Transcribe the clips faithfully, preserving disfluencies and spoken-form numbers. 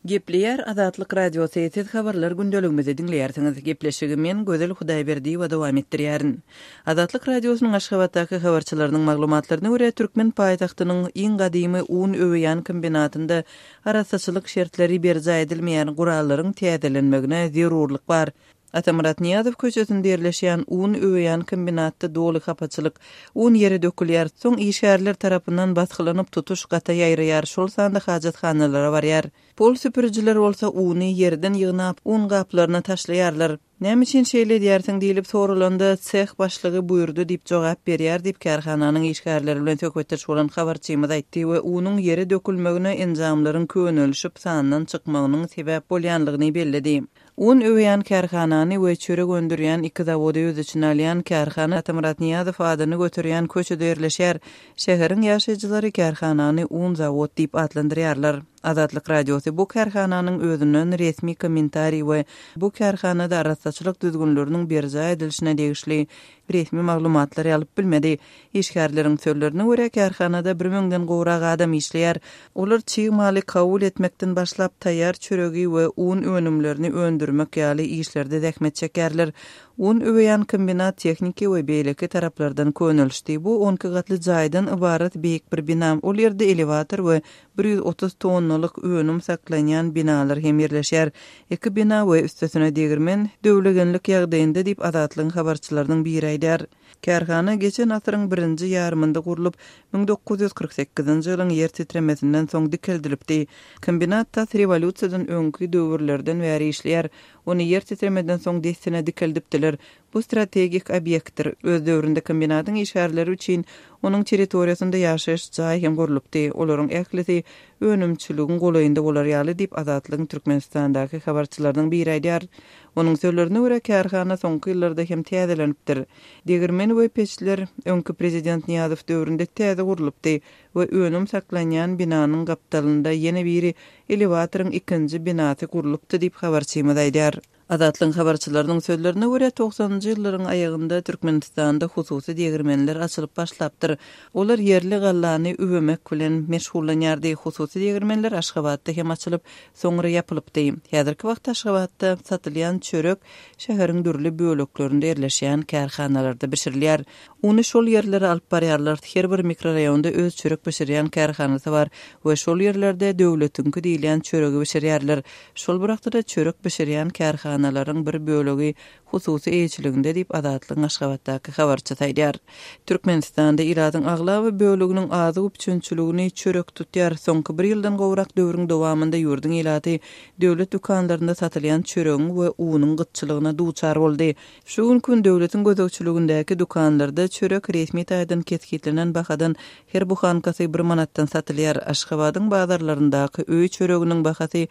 Gepleýär Azatlyk Radiosy, siz habarlar gündeligimizi diňleýärsiňiz. Gepleşigi men Gözel Hudaýberdiýewa dowam etdirýärin. Azatlyk Radiosynyň Aşgabatdaky habarçylarynyň maglumatlaryna görä, türkmen paýtagtynyň iň gadymy un öweýän kombinatynda arassaçylyk şertleri berjaý edilmeýän gurallaryň täzelenmegine zerurlyk bar. Atamyrat Nyýazow köçesinde ýerleşýän un öweýän kombinatda doly hapaçylyk. Un ýere dökülýär, soň işgärler tarapyndan basgylanyp tutuş gata ýaýraýar, şol sanda hajathanalara barýar. Pol süpürijiler bolsa uny ýerden ýygnap, un gaplaryna taşlaýarlar. Näme üçin şeýle edýärsiň diýlip soralanda, seh başlygy buýurdy diýip jogap berýär diýip, kärhananyň işgärleri bilen söhbetdeş bolan habarçymyz aýtdy we unuň ýere dökülmegine enjamlaryň könelişip sandan çykmagynyň sebäp bolýanlygyny belledi. Un öweýän kärhanany we çörek öndürýän iki zawody öz içine alýan kärhana Atamyrat Nyýazow adyny göterýän köçede ýerleşýär. Şäheriň ýaşaýjylary kärhanany un zawod diýip atlandyrýarlar. Azatlyk Radiosy bu kärhananyň özünden resmi kommentariý we bu kärhanada arassaçylyk düzgünleriniň berjaý edilişine degişli resmi maglumatlary alyp bilmedi. Işgärleriň sözlerine görä kärhanada bir müňden gowrak adam işleýär. Olar çig maly kabul etmekden başlap taýýar çöregi we un önümlerini öndürmek ýaly işlerde zähmet çekerler. Un öweýän kombinat tehniki we beýleki taraplardan könelişdi. Bu on iki gatly jaýdan ybarat beýik bir bina. Ol ýerde elewator we bir ýüz otuz tonnalyk önüm saklanýan binalar hem ýerleşýär. Iki bina we üstesine degirmen döwlegenlik ýagdaýynda diýip Azatlygyň habarçylarynyň biri aýdar. Kärhana geçen asyryň birinji ýarymynda gurlup, müň dokuz ýüz kyrk sekizinji ýylyň ýer titremesinden soň dikeldilipdi. Kombinat tas rewolýusiýadan öňki döwürlerden bäri işleýär. Ony ýer titremeden soň dessine dikeldipdiler. Bu strategik obýektdir. Öz döwründe kombinatyň işgärleri üçin onuň territoriýasynda ýaşaýyş jaý hem gurlupdy. Olaryň ählisi önümçiligiň golaýynda bolar ýaly diýip Azatlygyň Türkmenistandaky habarçylarynyň biri aýdar. Onuň sözlerine görä kärhana soňky ýyllarda hem täzelenipdir. Degirmen we peçler öňki prezident Nyýazow döwründe täze gurlupdy we önüm saklanýan binanyň gapdalynda ýene biri elewatoryň ikinji binasy gurlupdy diýip habarçymyz aýdar. Azatlygyň habarçylarynyň sözlerine görä togsanynjy ýyllaryň aýagynda Türkmenistanda hususy degirmenler açylyp başlapdyr. Olar ýerli gallany üwemek bilen meşgullanýardy. Hususy degirmenler Aşgabatda hem açylyp, soňra ýapylypdy. Häzirki wagtda Aşgabatda satylýan çörek şäheriň dürli böleklerinde ýerleşýän kärhanalarda bişirilýär. Uny şol ýerlere alyp barýarlar. Her bir mikroraýonda öz çörek bişirýän kärhanasy bar we şol ýerlerde döwletiňki diýilýän çöregi bişirýärler. Şol bir wagtda çörek bişirýän kärhanalaryň bir bölegi hususy eýeçiliginde diýip Azatlygyň Aşgabatdaky habarçysy aýdýar. Türkmenistanda ilatyň aglaba bölегiniň azyk üpjünçiligini çörek tutýar. Soňky bir ýyldan gowrak döwrüň dowamynda ýurduň ilaty döwlet dükanlarynda satylýan çöregiň we unuň gytçylygyna duçar boldy. Şu gün gün döwletiň gözegçiligindäki dükanlarda çörek resmi taýdan kesgitlenen bahadan her buhankasy bir manatdan satylýar. Aşgabadyň bazarlaryndaky öý çöreginiň bahasy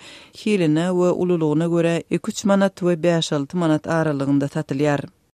hiline we ululygyna görä iki üç manat we bäş alty manat aralygynda satylýar.